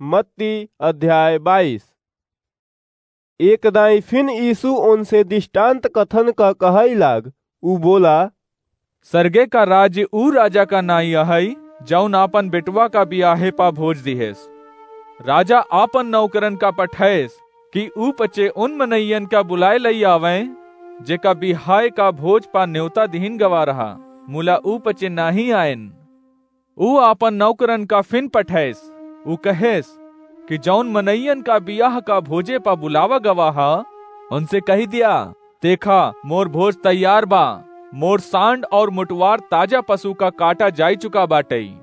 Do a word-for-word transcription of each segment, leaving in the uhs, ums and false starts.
मत्ती अध्याय बाईस। एक दाईं फिन यीशु ओनसे दृष्टांत कथन क कहइ लाग, ऊ बोला, सरगे का राज्य ऊ राजा का नाईं अहइ, जउन आपन बेटवा का बियाहे प भोज दिहेस। राजा आपन नौकरन का पठइस कि ऊ पचे उन मनइयन का बुलाए लइ आवइँ, जेका बियाहे का भोज प नेवता दिहिन गवा रहा, मुला ऊ पचे नाहीं आएन। ऊ आपन नौकरन का फिन पठइस। ऊ कहेस कि जउन मनइयन का बियाह का भोजे प बुलावा गवा ह, ओनसे कहि दिया, देखा, मोर भोज तैयार बा। मोर सांड अउर मोटवार ताजा पसु का काटा जाइ चुका बाटइ।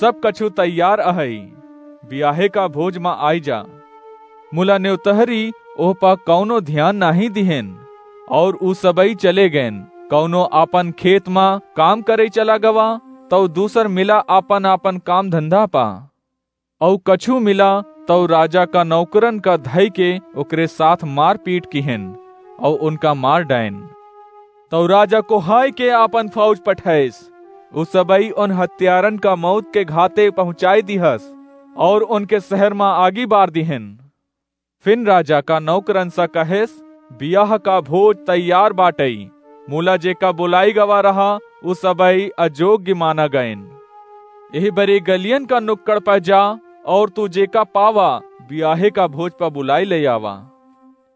सब कछु तैयार अहइ। बियाहे का भोज म आइ जा। मुला नेवतहरी ओह प कउनो ध्यान नाहीं दिहेन, अउर ऊ सबइ चले गएन। कउनो आपन खेत म काम करइ चला गवा, तउ दूसर मिला आपन-आपन काम धंधा प। अउ कछु मिला, तउ राजा का नौकरन का धइ के ओकरे साथ मारपीट किहेन, अउ ओनका मार डाएन। तउ राजा कोहाइ के आपन फौज पठइस, उ सबइ ओन हत्यारन का मौत के घाते पहुँचाइ दिहस, अउर ओनके सहर म आगी बार दिहेन। फिन राजा का नौकरन स कहेस, बियाह का भोज तैयार बाटइ, मुला जेका बोलाई गवा रहा, उ सबइ अजोग्य माना गएन। एह बरे गलियन का नुक्कड़ प जा, अउर तू जेका पावा, बियाहे का भोज प बुलाइ लइ आवा।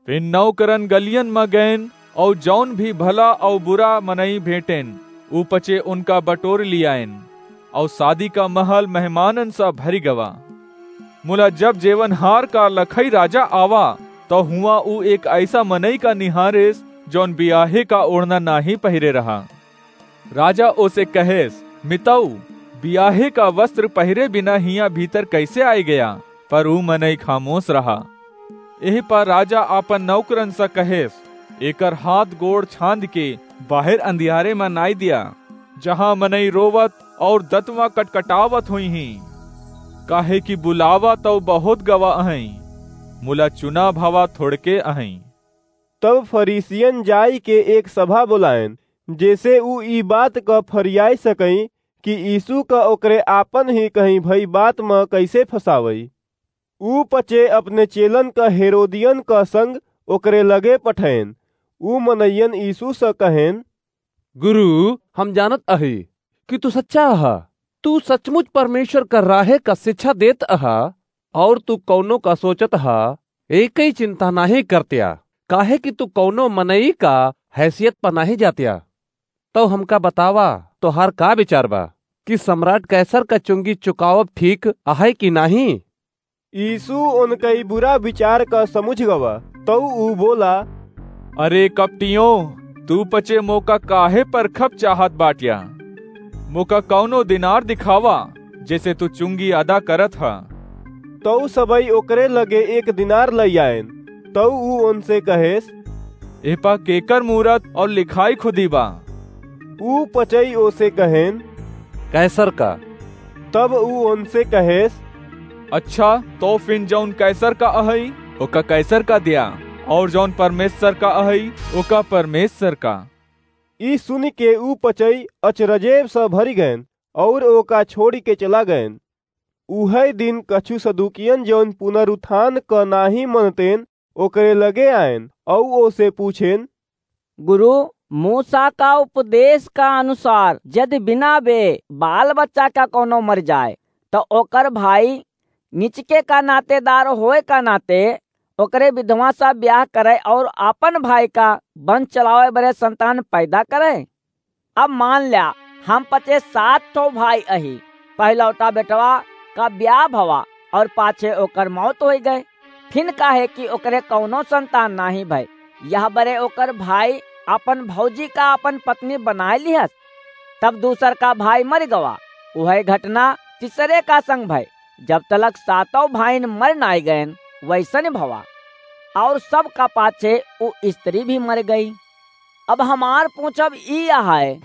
फिन नौकरन गलियन म गएन, अउर जउन भी भला अउर बुरा मनई भेंटेन, ऊ पचे उनका बटोर लिआएन, अउर सादी का महल मेहमानन स भरि गवा। मुला जब जेवनहार का लखई राजा आवा, तउ हुआँ ऊ एक अइसा मनई का निहारेस, जउन बियाहे का ओढ़ना नाहीं पहिरे रहा। राजा ओसे कहेस, "मितऊ, बियाहे का वस्त्र पहिरे बिना हियाँ भीतर कइसे आइ गया?" पर ऊ मनई खामोस रहा। एह पर राजा आपन नौकरन स कहेस, "एकर हाथ गोड़ छांद के बाहिर अंधियारे म नाइ दिया, जहाँ मनई रोवत अउर दतवा कटकटावत होइहीं, काहे कि बुलावा तउ बहुत गवा अहइँ, मुला चुना भवा थोड़के अहइँ।" तब फरीसियन जाइके एक सभा बोलाएन, जेसे ऊ ई बात क फरियाइ सकइँ कि यीशु क ओकरे आपन ही कहीं भई बात म कइसे फँसावइ। ऊ पचे अपने चेलन क हेरोदियन क संग ओकरे लगे पठएन। ऊ मनइयन यीशु स कहेन, "गुरु, हम जानत अही कि तू सच्चा अहा। तू सचमुच परमेश्वर क राहे क शिक्षा देत अहा, अउर तू कउनो क सोचत अहा, एकइ चिंता नाहीं करत्या, काहे कि तू कउनो मनई क हैसियत प नाहीं जात्या। तउ हमका बतावा, तोहार का विचार बा कि सम्राट कैसर क चुंगी चुकावब ठीक अहइ कि नाहीं?" यीशु ओनकइ बुरा विचार क समुझ गवा, तउ ऊ बोला, "अरे कपटियों, तू पचे मोका काहे परखब चाहत बाट्या? मोका कउनो दिनार दिखावा, जेसे तू चुंगी अदा करत ह।" तउ सबइ ओकरे लगे एक दिनार लइआएन। तउ ऊ ओनसे कहेस, "एह प केकर मूरत अउर लिखाई खुदी बा?" ऊ पचई ओसे कहेन, "कैसर क।" तब ऊ ओनसे कहेस, "अच्छा, तउ फिन जउन कैसर क अहइ, ओका कैसर क द्या, अउर जउन परमेश्वर क अहइ, ओका परमेश्वर क।" ई सुनिके ऊ पचई अचरजेब स भरि गएन, अउर ओका छोड़िके चला गएन। उहइ दिन कछु सदूकियन, जउन पुनरुत्थान क नाहीं मनतेन, ओकरे लगे आएन, अउर ओसे पूछेन, "गुरु, मूसा का उपदेश का अनुसार यदि बिना बे बाल बच्चा का कउनो मरि जाए, त ओकर भाई निचके का नातेदार होए का नाते ओकरे विधवा स ब्याह करइ अउर आपन भाई का वंश चलावइ बरे संतान पैदा करइ। अब मान ल्या, हम पचे सात ठो भाई अही। पहिलौटा बेटवा का ब्याह भवा अउर पाछे ओकर मौत होइ गए। फिन काहे कि ओकरे कउनो संतान नाहीं भए, यह बरे ओकर भाई आपन भौजी का आपन पत्नी बनाए लिहस। तब दूसर का भाई मरि गवा। उहइ घटना तीसरे का संग भए। जब तलक सातौ भाइन मरि नाहीं गएन, वइसन भवा। अउर सब का पाछे ऊ स्त्री भी मरि गई।" अब हमार पूछब ई अहइ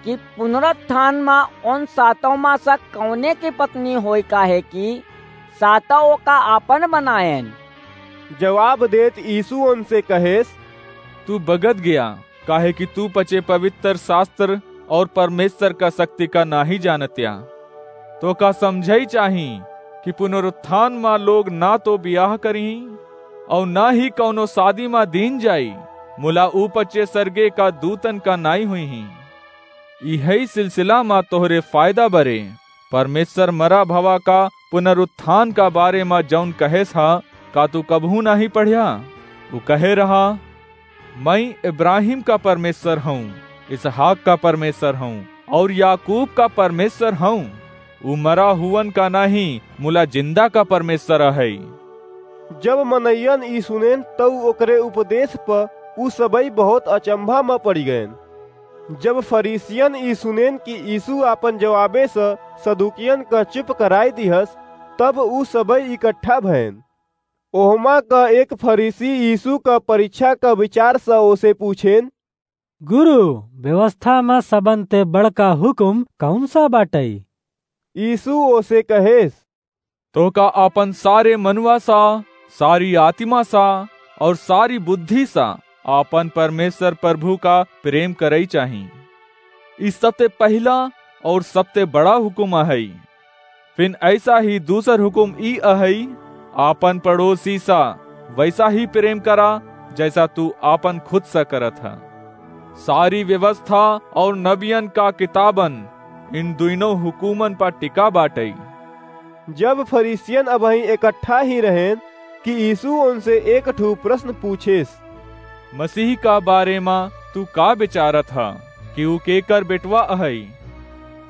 कि पुनरुत्थान म ओन सातौ म स कउने की पत्नी होई, काहे कि सातौ ओका आपन बनाएन? जवाब देत यीशु ओनसे कहेस, "तू बगत गया, काहे कि तू पचे पवित्र शास्त्र अउर परमेश्वर का शक्ति का नाहीं जानत्या। तोका समझइ चाही कि पुनरुत्थान मा लोग ना तो बियाह करिहीं, अउर ना ही कउनो सादी मा दीन जाई, मुला ऊपच्चे सरगे का दूतन का नाई हुइहीं। इहई सिलसिला मा तोहरे फायदा बरे, परमेश्वर मरा भवा का पुनरुत्थान का बारे मा जउन कहेस हा, का तू कबहूँ नाहीं पढ़्या? उ कहे रहा, "मइँ इब्राहिम का परमेश्वर हउँ, इसहाक का परमेश्वर हउँ, अउर याकूब का परमेश्वर हउँ।" उ मरा हुवन का नाहीं, मुला जिंदा का परमेश्वर अहइ। जब मनइयन ई सुनेन, तउ ओकरे उपदेश प उ सबई बहुत अचंभा म पड़ि गएन। जब फरीसियन ई सुनेन कि यीशु आपन जवाबे स सदुकियन क चुप कराइ दिहस, तब उ सबई इकट्ठा भएन। ओहमा क एक फरीसी यीशु क परीक्षा क विचार स ओसे पूछेन, "गुरु, व्यवस्था म सबन ते बड़का हुकुम कउन सा बाटइ?" यीशु ओसे कहेस, "तोहका आपन सारे मनुआ सा, सारी आतिमा सा अउर सारी बुद्धि सा आपन परमेश्वर प्रभु का प्रेम करइ चाही। ई सबते पहिला अउर सबते बड़ा हुकुम अहइ। फिन अइसा ही दूसर हुकुम ई अहइ, आपन पड़ोसी सा वइसा ही प्रेम करा, जइसा तू आपन खुद सा करत ह। सारी व्यवस्था अउर नबियन का किताबन इन दुइनों हुकुमन पर टिका बाटइ।" जब फरीसियन अबहीं एकट्ठा ही रहेन कि यीशु ओनसे एक ठू प्रश्न पूछेस, "मसीह का बारे मा तू का बिचारत ह कि उ केकर बेटवा अहइ?"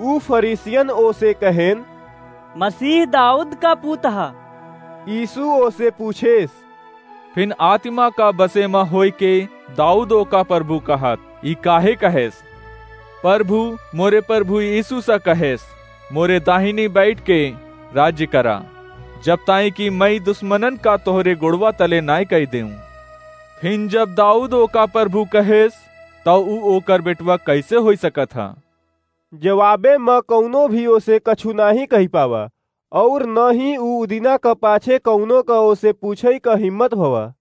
उ फरीसियन ओसे कहेन, "मसीह दाऊद का पूत ह।" यीशु ओसे पूछेस, "फिन आतिमा का बसे म होइके दाऊद ओका प्रभु कहत, ई काहे कहेस? प्रभु मोरे प्रभु यीशु स कहेस, मोरे दाहिनी बइठ के राज्य करा, जब ताईं कि मइँ दुस्मनन का तोहरे गोड़वा तले नाहीं कइ देऊँ।" फिन जब दाऊद ओका प्रभु कहेस, तउ उ ओकर बेटवा कइसे होइ सकत ह? जवाबे म कउनो भी ओसे कछु नाहीं कहि पावा, अउर न ही उ उदिना क पाछे कउनो क ओसे पूछइ क हिम्मत भवा।